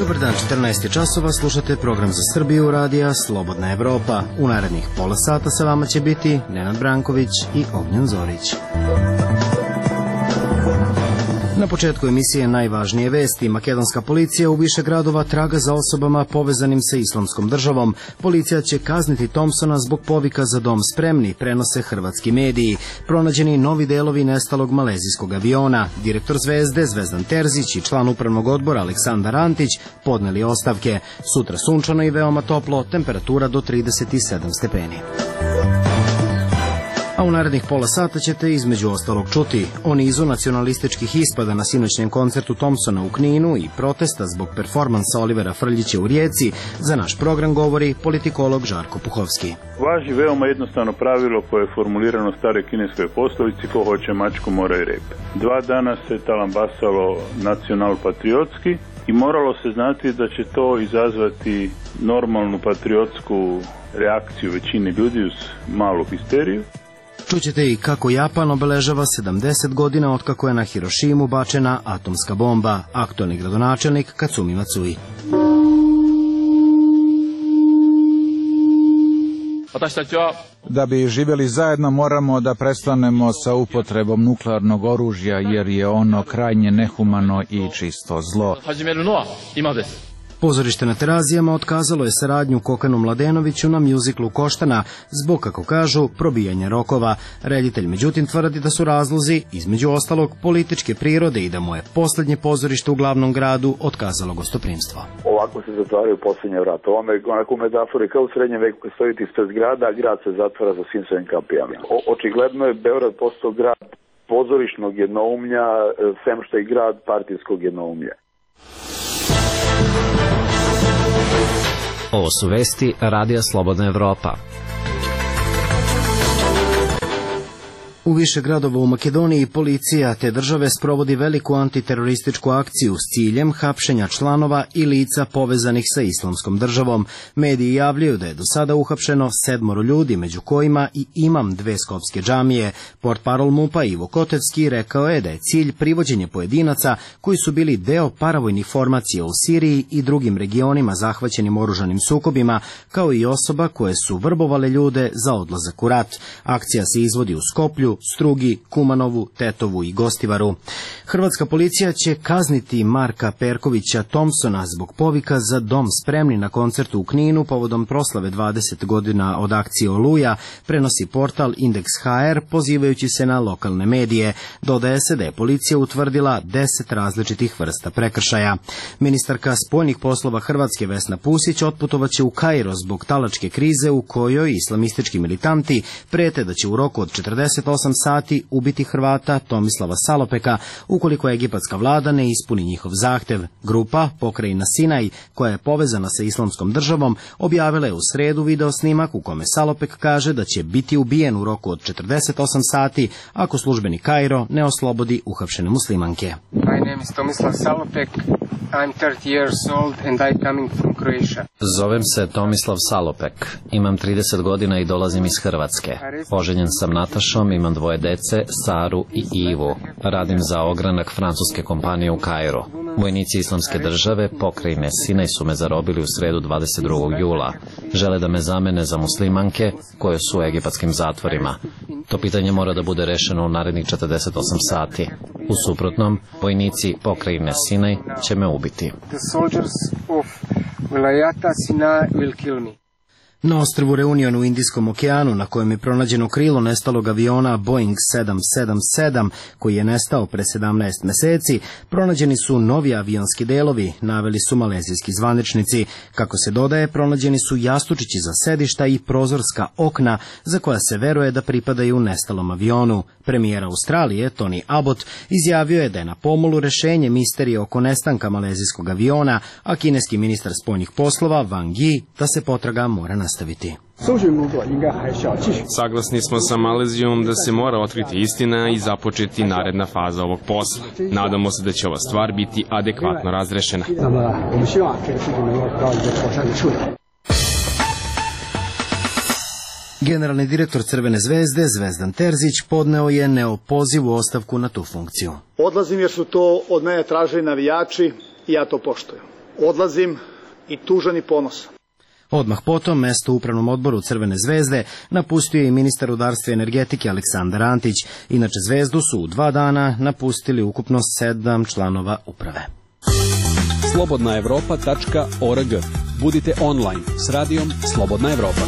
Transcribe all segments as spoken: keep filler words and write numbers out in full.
Dobar dan, četrnaest je časova, slušate program za Srbiju radija Slobodna Evropa. U narednih pola sata sa vama će biti Nenad Branković i Ognjen Zorić. Na početku emisije najvažnije vesti. Makedonska policija u više gradova traga za osobama povezanim sa Islamskom državom. Policija će kazniti Thompsona zbog povika za dom spremni, prenose hrvatski mediji. Pronađeni novi delovi nestalog malezijskog aviona. Direktor Zvezde Zvezdan Terzić i član upravnog odbora Aleksandar Antić podneli ostavke. Sutra sunčano i veoma toplo, temperatura do trideset sedam stepeni. A u narednih pola sata ćete između ostalog čuti o nizu nacionalističkih ispada na sinoćnjem koncertu Thompsona u Kninu i protesta zbog performansa Olivera Frljića u Rijeci. Za naš program govori politikolog Žarko Puhovski. Važi veoma jednostavno pravilo koje je formulirano u stare kineskoj poslovici: ko hoće mačku mora i rep. Dva dana se talambasalo nacional-patriotski i moralo se znati da će to izazvati normalnu patriotsku reakciju većine ljudi uz malu histeriju. Čućete i kako Japan obeležava sedamdeset godina otkako je na Hirošimu bačena atomska bomba. Aktualni gradonačelnik Katsumi Matsui. Da bi živjeli zajedno moramo da prestanemo sa upotrebom nuklearnog oružja jer je ono krajnje nehumano i čisto zlo. Pozorište na Terazijama otkazalo je saradnju Kokanu Mladenoviću na mjuziklu Koštana zbog, kako kažu, probijanja rokova. Reditelj međutim tvrdi da su razlozi, između ostalog, političke prirode i da mu je posljednje pozorište u glavnom gradu otkazalo gostoprimstvo. Ovako se zatvaraju posljednje vrata. Ovo je onako metafore kao u srednjem veku kad stojite ispred grada, a grad se zatvara za svim svojim kapijama. O, očigledno je Beograd postao grad pozorišnog jednoumlja, sem što je grad partijskog jednoumlja. Ovo su vesti Radija Slobodna Evropa. U više gradova u Makedoniji policija te države sprovodi veliku antiterorističku akciju s ciljem hapšenja članova i lica povezanih sa Islamskom državom. Mediji javljaju da je do sada uhapšeno sedmoro ljudi, među kojima i imam dve skopske džamije. Portparol MUP-a Ivo Kotevski rekao je da je cilj privođenje pojedinaca koji su bili deo paravojnih formacija u Siriji i drugim regionima zahvaćenim oružanim sukobima, kao i osoba koje su vrbovale ljude za odlazak u rat. Akcija se izvodi u Skoplju, Strugi, Kumanovu, Tetovu i Gostivaru. Hrvatska policija će kazniti Marka Perkovića Thompsona zbog povika za dom spremni na koncertu u Kninu povodom proslave dvadeset godina od akcije Oluja, prenosi portal Indeks ha er pozivajući se na lokalne medije. Dodaje se da je policija utvrdila deset različitih vrsta prekršaja. Ministarka spoljnih poslova Hrvatske Vesna Pusić otputovaće u Kairo zbog talačke krize u kojoj islamistički militanti prete da će u roku od četrdeset osam sati ubiti Hrvata Tomislava Salopeka ukoliko egipatska vlada ne ispuni njihov zahtev. Grupa Pokrajina Sinaj, koja je povezana sa Islamskom državom, objavila je u sredu video snimak u kome Salopek kaže da će biti ubijen u roku od četrdeset osam sati ako službeni Kairo ne oslobodi uhapšene muslimanke. My name is Tomislav Salopek. I'm thirty years old and I coming from Croatia. Zovem se Tomislav Salopek. Imam trideset godina i dolazim iz Hrvatske. Oženjen sam Natašom, imam dvoje dece, Saru i Ivu. Radim za ogranak francuske kompanije u Kairu. Vojnici Islamske države, pokrajine Sinaj, su me zarobili u sredu dvadeset drugog jula. Žele da me zamene za muslimanke koje su u egipatskim zatvorima. To pitanje mora da bude rešeno u narednih četrdeset osam sati. U suprotnom, vojnici pokrajine Sinaj će me ubiti. The soldiers of Vilayata Sinai will kill me. Na ostrvu Reunion u Indijskom okeanu, na kojem je pronađeno krilo nestalog aviona Boeing sedam sedam sedam, koji je nestao pre sedamnaest meseci, pronađeni su novi avionski delovi, naveli su malezijski zvaničnici. Kako se dodaje, pronađeni su jastučići za sedišta i prozorska okna, za koja se veruje da pripadaju nestalom avionu. Premijer Australije, Tony Abbott, izjavio je da je na pomolu rešenje misterije oko nestanka malezijskog aviona, a kineski ministar spoljnih poslova Wang Yi da se potraga mora nastaviti. Saglasni smo sa Malezijom da se mora otkriti istina i započeti naredna faza ovog posla. Nadamo se da će ova stvar biti adekvatno razrešena. Generalni direktor Crvene zvezde Zvezdan Terzić podneo je neopozivu ostavku na tu funkciju. Odlazim jer su to od mene tražili navijači i ja to poštujem. odlazim i tužan i ponosan. Odmah potom mesto u upravnom odboru Crvene zvezde napustio je i ministar rudarstva i energetike Aleksandar Antić. Inače Zvezdu su u dva dana napustili ukupno sedam članova uprave. slobodna evropa tačka org. Budite online s radijom Slobodna Evropa.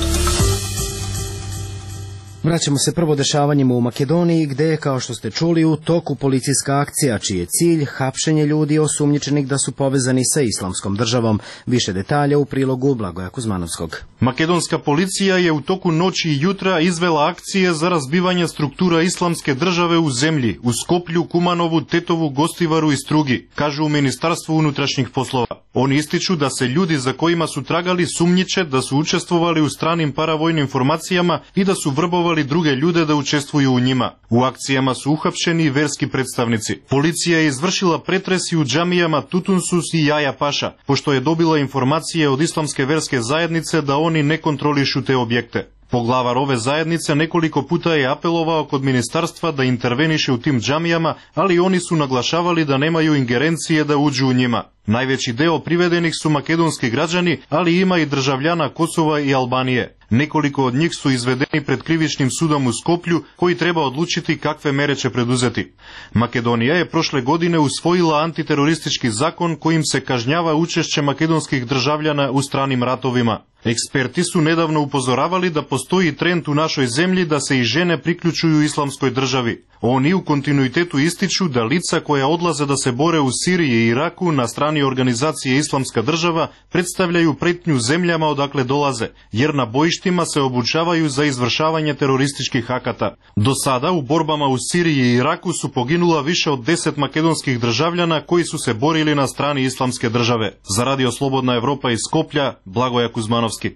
Vraćamo se prvo dešavanjima u Makedoniji, gde je, kao što ste čuli, u toku policijska akcija, čiji je cilj hapšenje ljudi osumnjičenih da su povezani sa islamskom državom. Više detalja u prilogu Blagoja Kuzmanovskog. Makedonska policija je u toku noći i jutra izvela akcije za razbivanje struktura islamske države u zemlji, u Skoplju, Kumanovu, Tetovu, Gostivaru i Strugi, kažu u Ministarstvu unutrašnjih poslova. Oni ističu da se ljudi za kojima su tragali sumnjiče da su učestvovali u stranim paravojnim formacijama i da su vrbovali druge ljude da učestvuju u njima. U akcijama su uhapšeni i verski predstavnici. Policija je izvršila pretres i u džamijama Tutunsus i Jaja Paša, pošto je dobila informacije od islamske verske zajednice da oni ne kontrolišu te objekte. Poglavar ove zajednice nekoliko puta je apelovao kod ministarstva da interveniše u tim džamijama, ali oni su naglašavali da nemaju ingerencije da uđu u njima. Najveći deo privedenih su makedonski građani, ali ima i državljana Kosova i Albanije. Nekoliko od njih su izvedeni pred krivičnim sudom u Skoplju, koji treba odlučiti kakve mere će preduzeti. Makedonija je prošle godine usvojila antiteroristički zakon kojim se kažnjava učešće makedonskih državljana u stranim ratovima. Eksperti su nedavno upozoravali da postoji trend u našoj zemlji da se i žene priključuju islamskoj državi. Oni u kontinuitetu ističu da lica koja odlaze da se bore u Siriji i Iraku na strani organizacije Islamska država predstavljaju pretnju zemljama odakle dolaze, jer na bojištima se obučavaju za izvršavanje terorističkih akata. Do sada u borbama u Siriji i Iraku su poginula više od deset makedonskih državljana koji su se borili na strani Islamske države. Za Radio Slobodna Evropa iz Skoplja, Blagoja Kuzmanovski.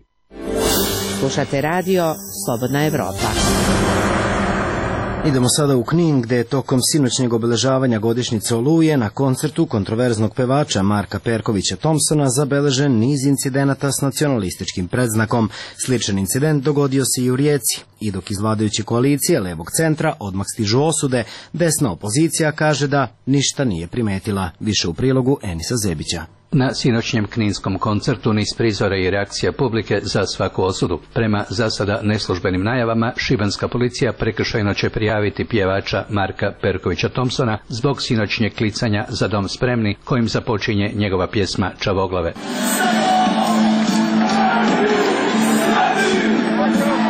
Slušate radio Slobodna Evropa. Idemo sada u Knin, gde je tokom sinoćnjeg obeležavanja godišnjice Oluje na koncertu kontroverznog pevača Marka Perkovića Thompsona zabeležen niz incidenata s nacionalističkim predznakom. Sličan incident dogodio se i u Rijeci. I dok iz vladajuće koalicije levog centra odmah stižu osude, desna opozicija kaže da ništa nije primetila. Više u prilogu Enisa Zebića. Na sinoćnjem kninskom koncertu niz prizora i reakcija publike za svaku osudu. Prema za sada neslužbenim najavama, šibenska policija prekršajno će prijaviti pjevača Marka Perkovića Thompsona zbog sinoćnjeg klicanja Za dom spremni, kojim započinje njegova pjesma Čavoglave.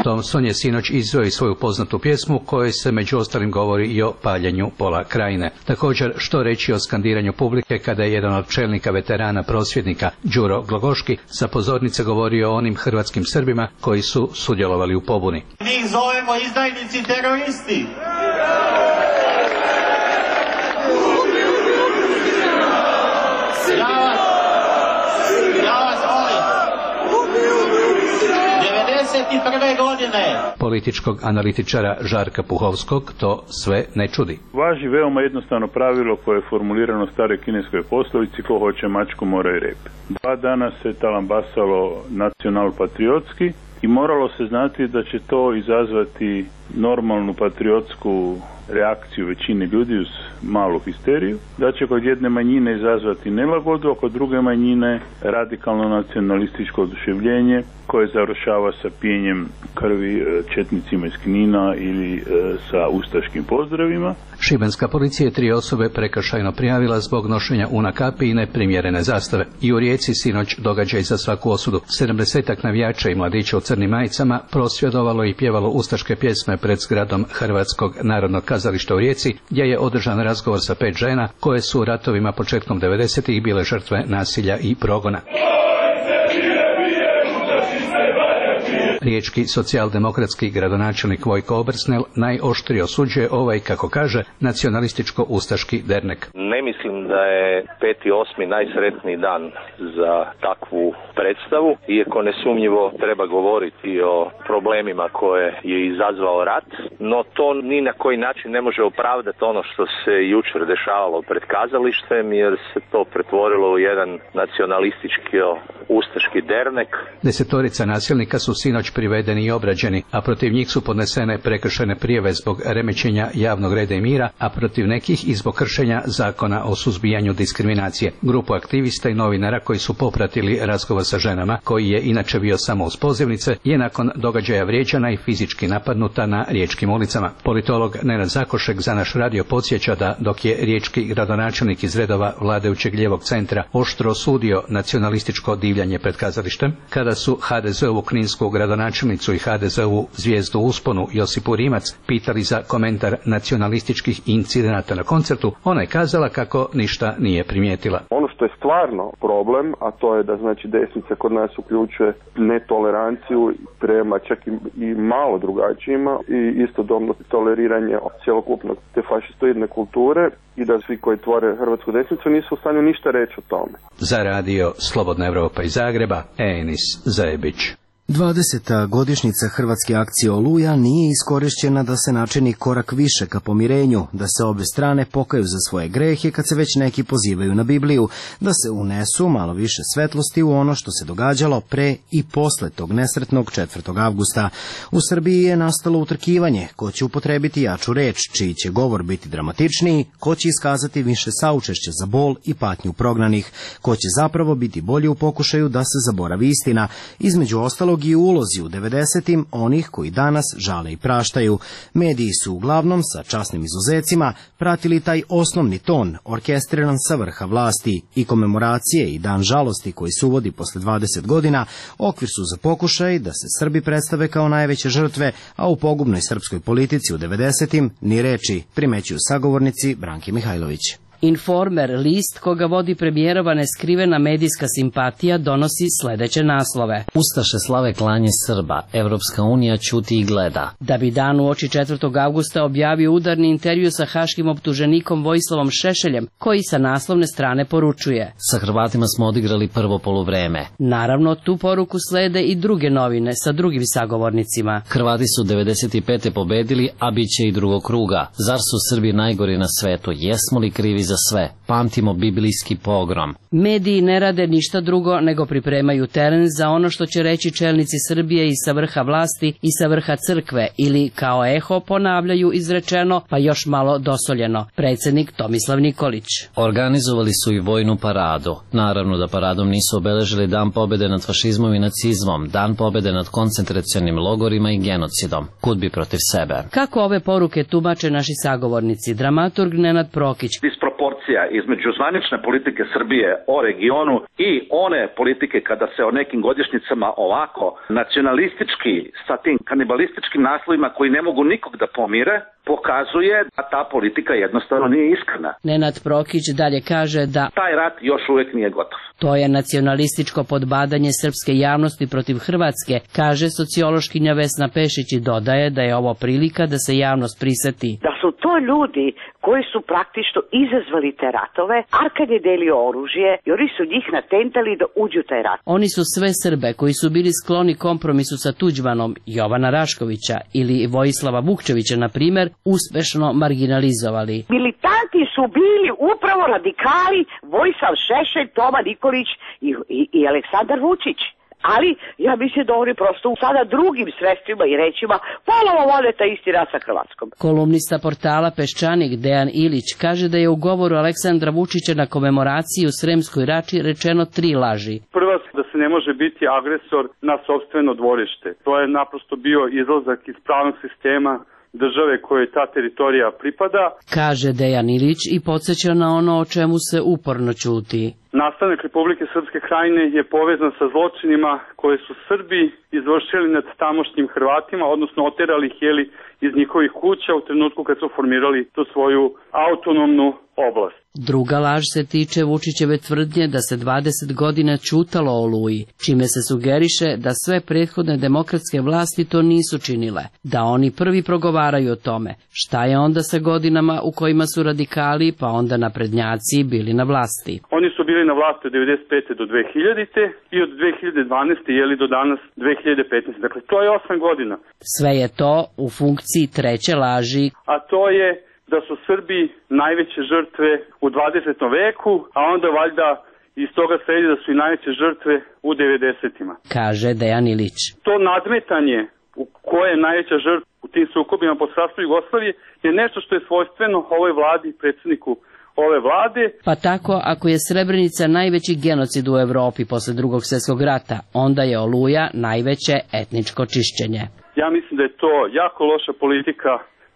Thompson je sinoć izveo i svoju poznatu pjesmu kojoj se među ostalim govori i o paljenju pola krajine. Također, što reći o skandiranju publike kada je jedan od čelnika veterana prosvjednika, Đuro Glogoški, sa pozornice govorio o onim hrvatskim Srbima koji su sudjelovali u pobuni. Mi ih zovemo izdajnici teroristi. prve godine. Političkog analitičara Žarka Puhovskog to sve ne čudi. Važi veoma jednostavno pravilo koje je formulirano u staroj kineskoj poslovici: ko hoće mačku mora i rep. Dva dana se talambasalo nacional-patriotski i moralo se znati da će to izazvati normalnu patriotsku reakciju većine ljudi uz malu histeriju, da će kod jedne manjine izazvati nelagodu, a kod druge manjine radikalno nacionalističko oduševljenje koje završava sa pijenjem krvi četnicima iz Knina ili e, sa ustaškim pozdravima. Šibenska policija je tri osobe prekršajno prijavila zbog nošenja una kapi i neprimjerene zastave. I u Rijeci sinoć događaj za svaku osudu. Sedamdesetak navijača i mladića u crnim majicama prosvjedovalo i pjevalo ustaške pjesme pred zgradom Hrvatskog narodnog kazališta u Rijeci, gdje je održan razgovor sa pet žena koje su u ratovima početkom devedesetih bile žrtve nasilja i progona. Riječki socijaldemokratski gradonačelnik Vojko Obersnel najoštrije osuđuje ovaj, kako kaže, nacionalističko-ustaški dernek. Ne mislim da je peti osmi najsretniji dan za takvu predstavu, iako nesumnjivo treba govoriti o problemima koje je izazvao rat. no to ni na koji način ne može opravdati ono što se jučer dešavalo pred kazalištem, jer se to pretvorilo u jedan nacionalistički ustaški dernek. Desetorica nasilnika su sinoć privedeni i obrađeni, a protiv njih su podnesene prekršajne prijave zbog remećenja javnog reda i mira, a protiv nekih i zbog kršenja zakona o suzbijanju diskriminacije. Grupu aktivista i novinara koji su popratili razgovor sa ženama, koji je inače bio samo uz pozivnice, je nakon događaja vrijeđana i fizički napadnuta na riječkim ulicama. Politolog Nenad Zakošek za naš radio podsjeća da dok je riječki gradonačelnik iz redova vladajućeg lijevog centra oštro osudio nacionalističko divljanje pred kazalištem, kada su ha de zeovu kninsku gradonačelnicu i ha de zeovu zvijezdu u usponu Josipu Rimac pitali za komentar nacionalističkih incidenata na koncertu, ona je kazala kako ništa nije primijetila. Ono što je stvarno problem, a to je da znači desnica kod nas uključuje netoleranciju prema čak i, i malo drugačijima i istodobno toleriranje cjelokupnog te fašistoidne kulture i da svi koji tvore hrvatsku desnicu nisu u stanju ništa reći o tome. Za radio Slobodna Evropa iz Zagreba, Enis Zajebić. dvadeseta godišnjica hrvatske akcije Oluja nije iskorišćena da se načini korak više ka pomirenju, da se obe strane pokaju za svoje grehe kad se već neki pozivaju na Bibliju, da se unesu malo više svetlosti u ono što se događalo pre i posle tog nesretnog četvrtog avgusta. U Srbiji je nastalo utrkivanje ko će upotrebiti jaču reč, čiji će govor biti dramatičniji, ko će iskazati više saučešća za bol i patnju prognanih, ko će zapravo biti bolji u pokušaju da se zaboravi istina, između ostalog i ulozi u devedesetim onih koji danas žale i praštaju. Mediji su uglavnom, sa časnim izuzecima, pratili taj osnovni ton, orkestriran sa vrha vlasti, i komemoracije i dan žalosti koji se uvodi posle dvadeset godina, okvir su za pokušaj da se Srbi predstave kao najveće žrtve, a u pogubnoj srpskoj politici u devedesetim ni reči, primećuju sagovornici Branke Mihajlović. Informer, list koga vodi premijerova neskrivena medijska simpatija, donosi sledeće naslove. Ustaše slave klanje Srba, Evropska unija ćuti i gleda. Da bi dan uoči četvrtog avgusta objavio udarni intervju sa haškim optuženikom Vojislavom Šešeljem, koji sa naslovne strane poručuje: Sa Hrvatima smo odigrali prvo poluvreme. Naravno, tu poruku slede i druge novine sa drugim sagovornicima. Hrvati su devedeset pete pobedili, a bit će i drugog kruga. Zar su Srbi najgori na svetu? Jesmo li krivi za sve? Pamtimo biblijski pogrom. Mediji ne rade ništa drugo nego pripremaju teren za ono što će reći čelnici Srbije i sa vrha vlasti i sa vrha crkve, ili kao eho ponavljaju izrečeno pa još malo dosoljeno. Predsednik Tomislav Nikolić. Organizovali su i vojnu paradu. Naravno da paradom nisu obeležili dan pobede nad fašizmom i nacizmom, dan pobede nad koncentracionim logorima i genocidom. Kud bi protiv sebe? Kako ove poruke tumače naši sagovornici? Dramaturg Nenad Prokić. Disproporcija između zvanične politike Srbije o regionu i one politike kada se o nekim godišnjicama ovako nacionalistički sa tim kanibalističkim naslovima koji ne mogu nikog da pomire, pokazuje da ta politika jednostavno nije iskrena. Nenad Prokić dalje kaže da taj rat još uvek nije gotov. To je nacionalističko podbadanje srpske javnosti protiv Hrvatske, kaže sociološkinja Vesna Pešić, i dodaje da je ovo prilika da se javnost priseti. Da su to ljudi koji su praktično izazvali te ratove, Arkad je delio oružje i oni su njih natentali da uđu u taj rat. Oni su sve Srbe koji su bili skloni kompromisu sa Tuđmanom, Jovana Raškovića ili Vojislava Vukčevića, na primer, uspešno marginalizovali. Militanti su bili upravo radikali Vojislav Šešelj, Toma Nikolić i, i, i Aleksandar Vučić. Ali ja mislim da oni prosto sada drugim sredstvima i rečima ponovo vode taj isti rat sa Hrvatskom. Kolumnista portala Peščanik Dejan Ilić kaže da je u govoru Aleksandra Vučića na komemoraciji u Sremskoj Rači rečeno tri laži. Prva, da se ne može biti agresor na sopstveno dvorište. To je naprosto bio izlazak iz pravnog sistema države kojoj ta teritorija pripada, kaže Dejan Ilić i podsjeća na ono o čemu se uporno ćuti. Nastanak Republike Srpske Krajine je povezan sa zločinima koje su Srbi izvršili nad tamošnjim Hrvatima, odnosno oterali ih jeli iz njihovih kuća u trenutku kad su formirali tu svoju autonomnu oblast. Druga laž se tiče Vučićeve tvrdnje da se dvadeset godina ćutalo o Oluji, čime se sugeriše da sve prethodne demokratske vlasti to nisu činile, da oni prvi progovaraju o tome. Šta je onda sa godinama u kojima su radikali pa onda naprednjaci bili na vlasti? Oni su bili bili na vlasti od devedeset pete do dve hiljadite i od dve hiljade dvanaeste jeli do danas dve hiljade petnaeste. Dakle, to je osam godina. Sve je to u funkciji treće laži. A to je da su Srbi najveće žrtve u dvadesetom veku, a onda valjda iz toga sledi da su i najveće žrtve u devedesetima. Kaže Dejan Ilić. To nadmetanje u koje je najveća žrtva u tim sukobima po sastavu Jugoslavije je nešto što je svojstveno ovoj vladi i predsjedniku ove vlade. Pa tako, ako je Srebrenica najveći genocid u Evropi posle drugog svjetskog rata, onda je Oluja najveće etničko čišćenje. Ja mislim da je to jako loša politika,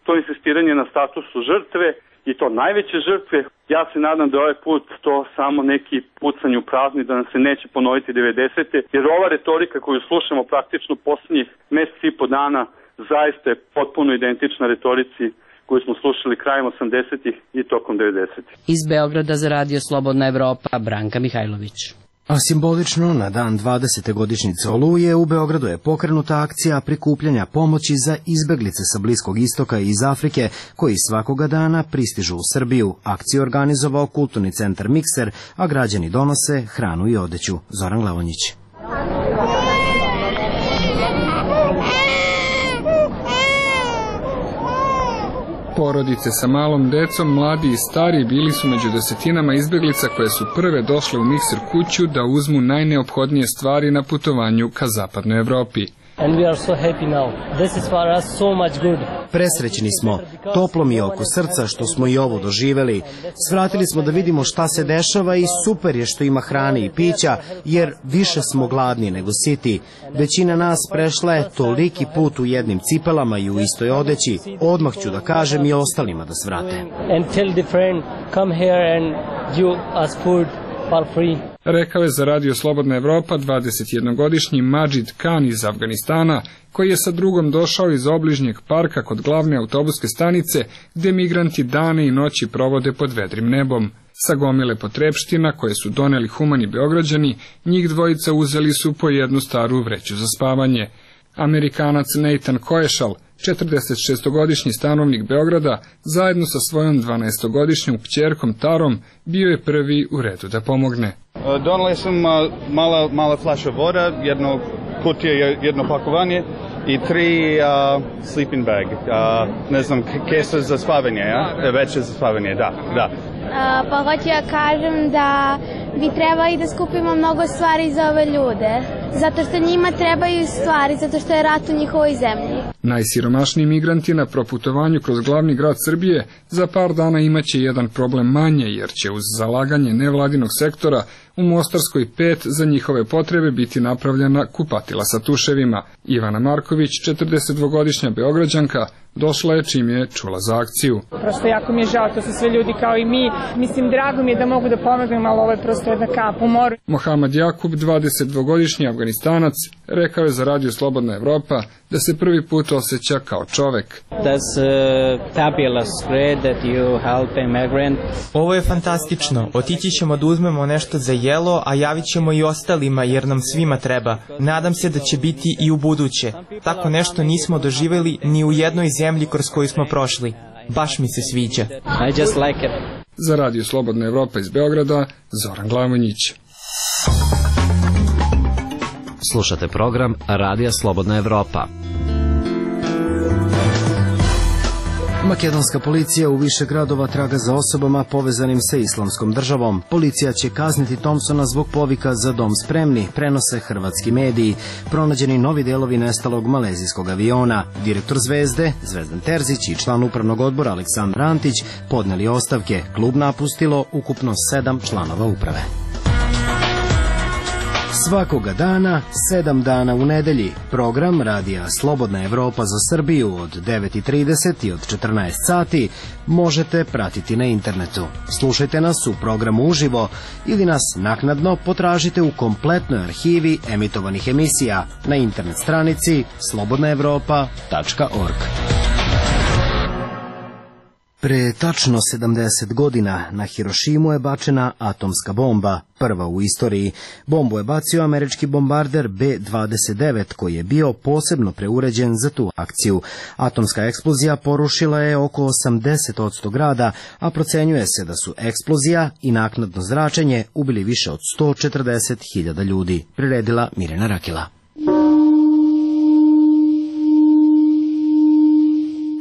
to insistiranje na statusu žrtve i to najveće žrtve. Ja se nadam da ovaj put to samo neki pucanj u prazni, da nam se neće ponoviti devedesete, jer ova retorika koju slušamo praktično posljednjih mjesec i po dana zaista je potpuno identična retorici koju smo slušali krajem osamdesetih i tokom devedesetih. Iz Beograda za Radio Slobodna Evropa, Branka Mihajlović. A simbolično na dan dvadesete godišnjice Oluje u Beogradu je pokrenuta akcija prikupljanja pomoći za izbeglice sa Bliskog istoka i iz Afrike koji svakoga dana pristižu u Srbiju. Akciju organizovao kulturni centar Mikser, a građani donose hranu i odeću. Zoran Glavonjić. Porodice sa malom decom, mladi i stari bili su među desetinama izbeglica koje su prve došle u Mikser kuću da uzmu najneophodnije stvari na putovanju ka zapadnoj Evropi. And we are so happy now. This is for us so much good. Presrećni smo, toplo mi je oko srca što smo i ovo doživeli. Svratili smo da vidimo šta se dešava i super je što ima hrane i pića, jer više smo gladni nego siti. Većina nas prešla je toliki put u jednim cipelama i u istoj odeći. Odmah ću da kažem i ostalima da svrate. And tell the friend, come here and give us food for free. Rekao je za Radio Slobodna Evropa dvadesetjednogodišnji Majid Khan iz Afganistana, koji je sa drugom došao iz obližnjeg parka kod glavne autobuske stanice, gde migranti dane i noći provode pod vedrim nebom. Sa gomile potrepština koje su doneli humani Beograđani, njih dvojica uzeli su po jednu staru vreću za spavanje. Amerikanac Nathan Koešal, četrdesetšestogodišnji stanovnik Beograda, zajedno sa svojom dvanaestogodišnjom kćerkom Tarom, bio je prvi u redu da pomogne. Donali sam mala, mala flaša voda, jedno kutije, jedno pakovanje i tri uh, sleeping bag, uh, ne znam, kesa za spavanje, ja? Veće za spavanje, da, da. Uh, pa hoću ja kažem da bi trebali da skupimo mnogo stvari za ove ljude, zato što njima trebaju stvari, zato što je rat u njihovoj zemlji. Najsiromašniji migranti na proputovanju kroz glavni grad Srbije za par dana imaće jedan problem manje, jer će uz zalaganje nevladinog sektora u Mostarskoj pet za njihove potrebe biti napravljena kupatila sa tuševima. Ivana Marković, četrdesetdvogodišnja Beograđanka, došla je čim je čula za akciju. Prosto jako mi je žao, to su sve ljudi kao i mi. Mislim, drago mi je da mogu da pomognem, ali ovo je prosto jedna kap u moru. Mohamed Jakub, dvadesetdvogodišnji Afganistanac, rekao je za Radio Slobodna Evropa da se prvi put osjeća kao čovek. Ovo je fantastično. Otići ćemo da uzmemo nešto za jelo, a javit ćemo i ostalima jer nam svima treba. Nadam se da će biti i u buduće. Tako nešto nismo doživjeli ni u jednoj zemlji kroz koju smo prošli. Baš mi se sviđa. I just like it. Za Radio Slobodna Evropa iz Beograda, Zoran Glavonjić. Slušate program Radija Slobodna Evropa. Makedonska policija u više gradova traga za osobama povezanim sa Islamskom državom. Policija će kazniti Thompsona zbog povika za dom spremni, prenose hrvatski mediji. Pronađeni novi delovi nestalog malezijskog aviona. Direktor Zvezde, Zvezdan Terzić i član upravnog odbora Aleksandar Antić podneli ostavke. Klub napustilo ukupno sedam članova uprave. Svakoga dana, sedam dana u nedelji, program Radija Slobodna Evropa za Srbiju od devet i trideset i od četrnaest sati možete pratiti na internetu. Slušajte nas u programu uživo ili nas naknadno potražite u kompletnoj arhivi emitovanih emisija na internet stranici slobodna evropa tačka org. Pre tačno sedamdeset godina na Hirošimu je bačena atomska bomba, prva u istoriji. Bombu je bacio američki bombarder B dvadeset devet, koji je bio posebno preuređen za tu akciju. Atomska eksplozija porušila je oko osamdeset posto grada, a procenjuje se da su eksplozija i naknadno zračenje ubili više od sto četrdeset hiljada ljudi. Priredila Mirjana Rakela.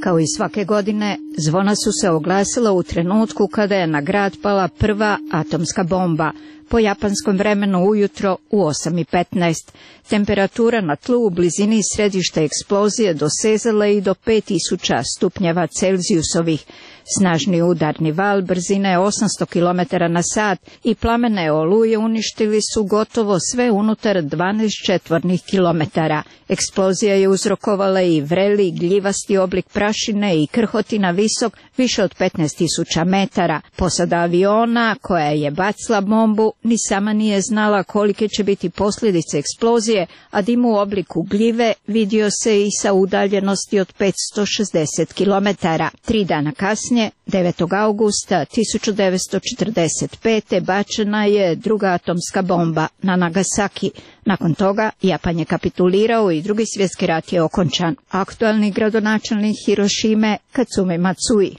Kao i svake godine, zvona su se oglasila u trenutku kada je na grad pala prva atomska bomba, po japanskom vremenu ujutro u osam i petnaest. Temperatura na tlu u blizini središta eksplozije dosezala i do pet tisuća stupnjeva Celzijusovih. Snažni udarni val brzine osamsto kilometara na sat i plamene oluje uništili su gotovo sve unutar dvanaest četvornih kilometara. Eksplozija je uzrokovala i vreli, gljivasti oblik prašine i krhotina visok više od petnaest tisuća metara. Posada aviona, koja je bacila bombu, ni sama nije znala kolike će biti posljedice eksplozije, a dim u obliku gljive vidio se i sa udaljenosti od petsto šezdeset kilometara. Tri dana kasnije, devetog augusta tisuću devetsto četrdeset pete. bačena je druga atomska bomba na Nagasaki. Nakon toga Japan je kapitulirao i drugi svjetski rat je okončan. Aktualni gradonačelnik Hirošime Katsumi Matsui.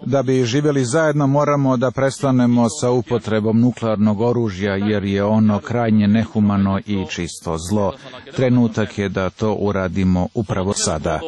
Da bi živjeli zajedno moramo da prestanemo sa upotrebom nuklearnog oružja jer je ono krajnje nehumano i čisto zlo. Trenutak je da to uradimo upravo sada.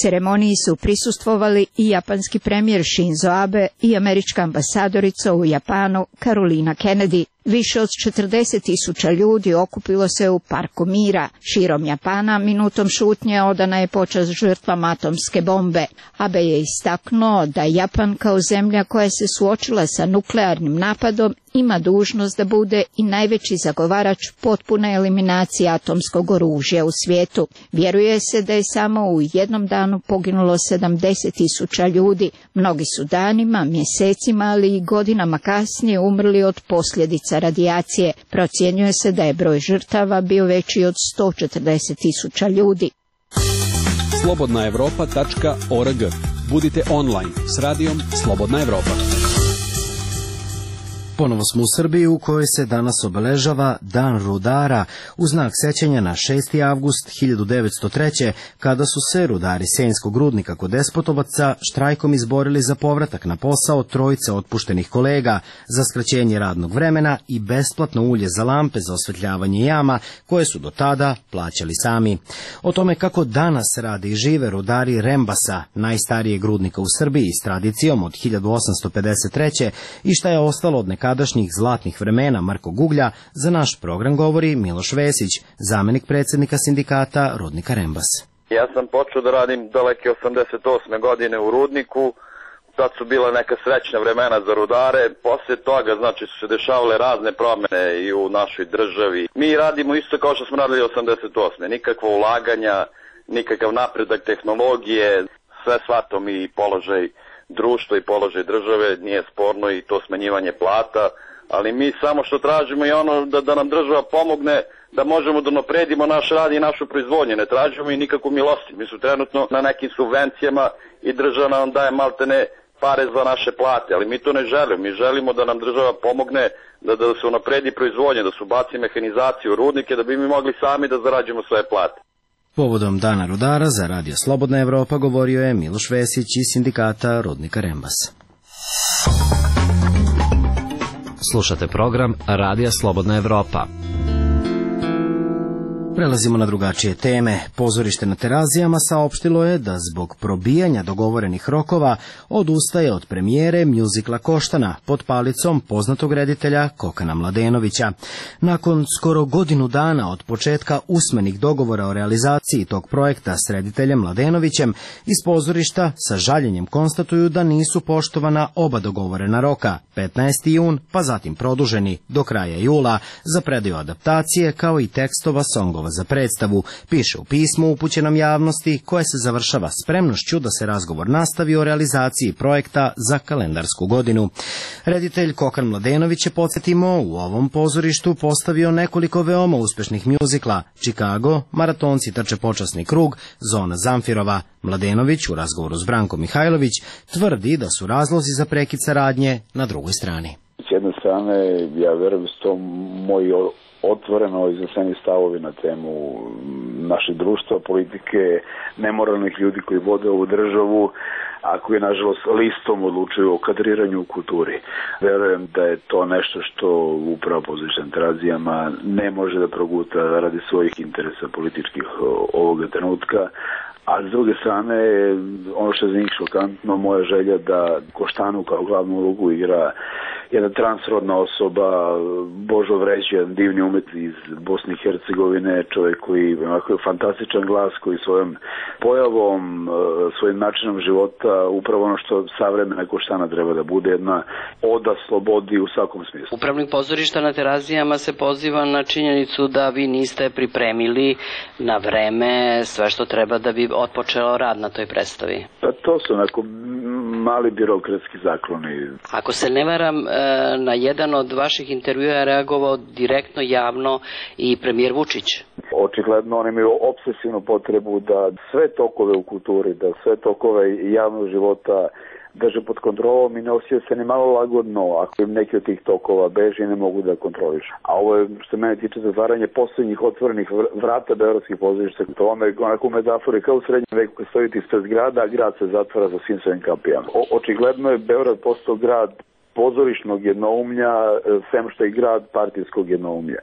Ceremoniji su prisustvovali i japanski premijer Shinzo Abe i američka ambasadorica u Japanu Carolina Kennedy. Više od četrdeset tisuća ljudi okupilo se u Parku mira. Širom Japana minutom šutnje odana je počast žrtvama atomske bombe. Abe je istaknuo da Japan kao zemlja koja se suočila sa nuklearnim napadom ima dužnost da bude i najveći zagovarač potpune eliminacije atomskog oružja u svijetu. Vjeruje se da je samo u jednom danu poginulo sedamdeset tisuća ljudi. Mnogi su danima, mjesecima, ali i godinama kasnije umrli od posljedica radijacije. Procjenjuje se da je broj žrtava bio veći od sto četrdeset tisuća ljudi. slobodna evropa tačka org. Budite online s radijom Slobodna Evropa. Ponovo smo u Srbiji u kojoj se danas obeležava Dan rudara u znak sećanja na šesti avgust hiljadu devetsto treće. kada su se rudari Senjskog rudnika kod Despotovaca štrajkom izborili za povratak na posao trojice otpuštenih kolega, za skraćenje radnog vremena i besplatno ulje za lampe za osvetljavanje jama koje su do tada plaćali sami. O tome kako danas rade i žive rudari Rembasa, najstarijeg rudnika u Srbiji s tradicijom od hiljadu osamsto pedeset treće. i šta je ostalo od nekadašnjih zlatnih vremena Marko Guglja, za naš program govori Miloš Vesić, zamenik predsjednika sindikata rudnika Rembas. Ja sam počeo da radim daleke osamdeset osme. godine u rudniku, tad su bila neka srećna vremena za rudare, poslije toga znači su se dešavale razne promjene i u našoj državi. Mi radimo isto kao što smo radili osamdeset osme. Nikakvo ulaganja, nikakav napredak tehnologije, sve shvatom i položaj društva i položaj države nije sporno i to smanjivanje plata, ali mi samo što tražimo je ono da, da nam država pomogne da možemo da napredimo naš rad i našu proizvodnju. Ne tražimo i nikakvu milosti. Mi su trenutno na nekim subvencijama i država nam daje maltene pare za naše plate, ali mi to ne želimo. Mi želimo da nam država pomogne da, da se unapredi proizvodnja, da se ubaci mehanizaciju u rudnike, da bi mi mogli sami da zarađujemo svoje plate. Povodom Dana rudara za Radio Slobodna Evropa govorio je Miloš Vesić iz sindikata rudnika Rembas. Slušate program Radija Slobodna Evropa. Prelazimo na drugačije teme. Pozorište na Terazijama saopštilo je da zbog probijanja dogovorenih rokova odustaje od premijere mjuzikla Koštana pod palicom poznatog reditelja Kokana Mladenovića. Nakon skoro godinu dana od početka usmenih dogovora o realizaciji tog projekta s rediteljem Mladenovićem, iz pozorišta sa žaljenjem konstatuju da nisu poštovana oba dogovorena roka, petnaesti jun, pa zatim produženi do kraja jula za predaju adaptacije kao i tekstova songova predlogova za predstavu, piše u pismu upućenom javnosti koje se završava spremnošću da se razgovor nastavi o realizaciji projekta za kalendarsku godinu. Reditelj Kokan Mladenović je, podsjetimo, u ovom pozorištu postavio nekoliko veoma uspešnih mjuzikla: Chicago, Maratonci trče počasni krug, Zona Zamfirova. Mladenović u razgovoru s Brankom Mihajlović tvrdi da su razlozi za prekid saradnje na drugoj strani. S jedne strane, ja verujem da su to moji otvoreno izneseni stavovi na temu našeg društva, politike, nemoralnih ljudi koji vode ovu državu, a koji, nažalost, listom odlučuju o kadriranju u kulturi. Verujem da je to nešto što upravo pozorištem Terazijama ne može da proguta radi svojih interesa političkih ovoga trenutka. A s druge strane, ono što je za njih šokantno, moja želja da Koštanu kao glavnu ulogu igra jedna transrodna osoba, Božo Vreć, jedan divni umet iz Bosne i Hercegovine, čovjek koji ima fantastičan glas, koji svojom pojavom, svojim načinom života, upravo ono što savremena Koštana treba da bude, jedna oda slobodi u svakom smislu. Upravnik pozorišta na Terazijama se poziva na činjenicu da vi niste pripremili na vreme sve što treba da bi otpočeo rad na toj predstavi. Pa to su onako mali birokratski zakloni. Ako se ne varam, na jedan od vaših intervjua je reagovao direktno, javno i premijer Vučić. Očigledno oni imaju obsesivnu potrebu da sve tokove u kulturi, da sve tokove javnog života drže pod kontrolom i ne osjeća se ni malo lagodno ako im neki od tih tokova beži i ne mogu da kontrolišu. A ovo je, što mene tiče, zatvaranje posljednjih otvorenih vrata beogradskih pozorišta. To vam je onako u metafori kao u srednjem veku koji stojite ispred grada, a grad se zatvara za svim svojim kapijama. O, očigledno je Beograd postao grad pozorišnog jednoumlja, sem što je grad partijskog jednoumlja.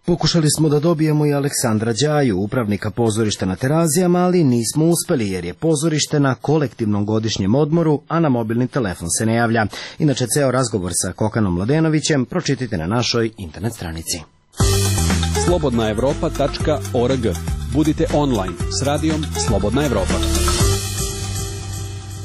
Pokušali smo da dobijemo i Aleksandra Đaju, upravnika pozorišta na Terazijama, ali nismo uspeli jer je pozorište na kolektivnom godišnjem odmoru, a na mobilni telefon se ne javlja. Inače, ceo razgovor sa Kokanom Mladenovićem pročitajte na našoj internet stranici. slobodna evropa tačka org. Budite online s radijom Slobodna Evropa.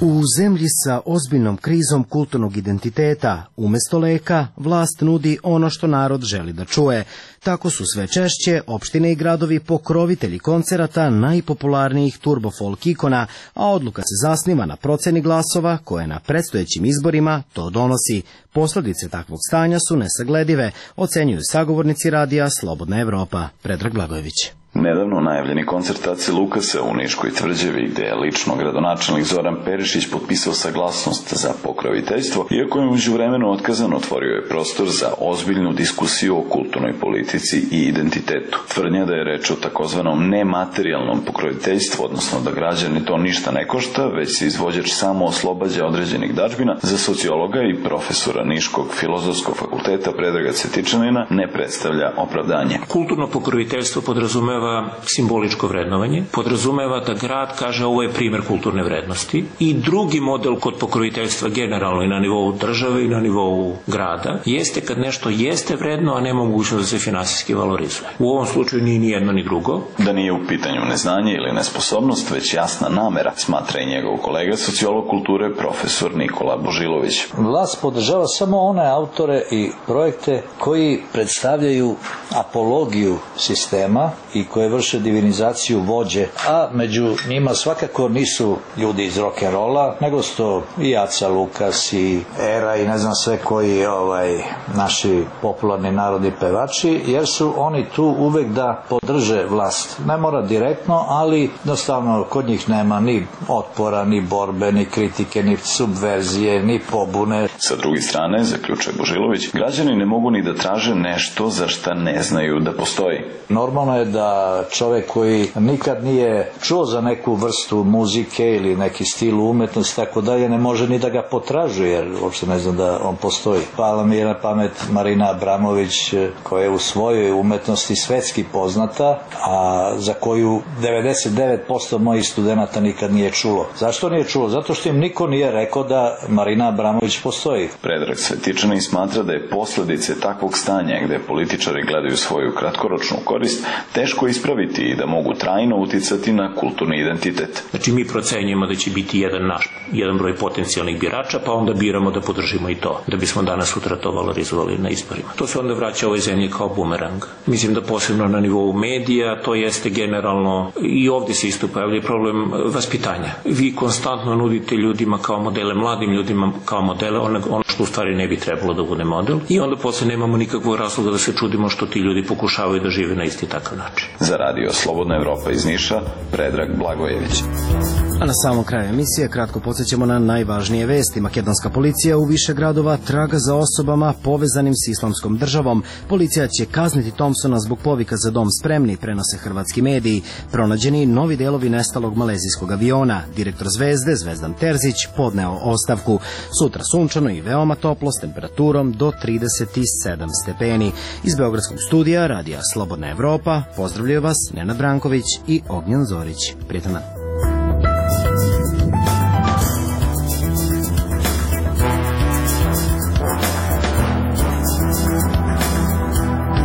U zemlji sa ozbiljnom krizom kulturnog identiteta, umesto leka, vlast nudi ono što narod želi da čuje. Tako su sve češće opštine i gradovi pokrovitelji koncerata najpopularnijih turbo-folk ikona, a odluka se zasniva na proceni glasova koje na predstojećim izborima to donosi. Posledice takvog stanja su nesagledive, ocenjuju sagovornici radija Slobodna Evropa. Predrag Blagojević. Nedavno najavljeni koncert Ace Lukasa u Niškoj tvrđavi, gde je lično gradonačelnik Zoran Perišić potpisao saglasnost za pokroviteljstvo, iako je međuvremeno otkazan, otvorio je prostor za ozbiljnu diskusiju o kulturnoj politici i identitetu. Tvrdnja da je reč o takozvanom nematerijalnom pokroviteljstvu, odnosno da građani to ništa ne košta, već se izvođač samo oslobađa određenih dažbina, za sociologa i profesora Niškog filozofskog fakulteta Predraga Cvetičanina ne predstavlja opravdanje. Kulturno pokroviteljstvo podrazumeva simboličko vrednovanje, podrazumeva da grad kaže ovo je primer kulturne vrednosti, i drugi model kod pokroviteljstva generalno i na nivou države i na nivou grada jeste kad nešto jeste vredno, a nema mogućnost da se finansijski valorizuje. U ovom slučaju nije ni jedno ni drugo. Da nije u pitanju neznanje ili nesposobnost, već jasna namera, smatra i njegov kolega sociolog kulture profesor Nikola Božilović. Vlast podržava samo one autore i projekte koji predstavljaju apologiju sistema i koje vrše divinizaciju vođe, a među njima svakako nisu ljudi iz rock'n'rolla, nego su to i Aca Lukas i Era i ne znam sve koji ovaj, naši popularni narodni pevači, jer su oni tu uvek da podrže vlast. Ne mora direktno, ali jednostavno kod njih nema ni otpora, ni borbe, ni kritike, ni subverzije, ni pobune. Sa druge strane, zaključuje Božilović, građani ne mogu ni da traže nešto za šta ne znaju da postoji. Normalno je da čovek koji nikad nije čuo za neku vrstu muzike ili neki stil umetnosti tako dalje ne može ni da ga potražuje, jer uopšte ne znam da on postoji. Pala mi je na pamet Marina Abramović, koja je u svojoj umetnosti svetski poznata, a za koju devedeset devet posto mojih studenata nikad nije čulo. Zašto nije čulo? Zato što im niko nije rekao da Marina Abramović postoji. Predrag Cvetičanin smatra da je posledice takvog stanja, gde političari gledaju svoju kratkoročnu korist, teško ispraviti i da mogu trajno uticati na kulturni identitet. Znači mi procenjujemo da će biti jedan naš, jedan broj potencijalnih birača, pa onda biramo da podržimo i to, da bismo danas sutra to valorizovali na izborima. To se onda vraća ovoj zemlji kao bumerang. Mislim da posebno na nivou medija, to jeste generalno, i ovdje se isto pojavlja problem vaspitanja. Vi konstantno nudite ljudima kao modele, mladim ljudima kao modele, ono što u stvari ne bi trebalo da bude model, i onda posle nemamo nikakvog razloga da se čudimo što ti ljudi pokušavaju da žive na isti takav način. Za radio Slobodna Evropa iz Niša, Predrag Blagojević. A na samom kraju emisije kratko podsjećamo na najvažnije vesti. Makedonska policija u više gradova traga za osobama povezanim s islamskom državom. Policija će kazniti Thompsona zbog povika za dom spremni, prenose hrvatski mediji. Pronađeni novi delovi nestalog malezijskog aviona. Direktor Zvezde, Zvezdan Terzić, podneo ostavku. Sutra sunčano i veoma toplo s temperaturom do trideset sedam stepeni. Iz Beogradskog studija radija Slobodna Evropa pozdravljaju vas Nenad Branković i Ognjen Zorić. Prijetan dan.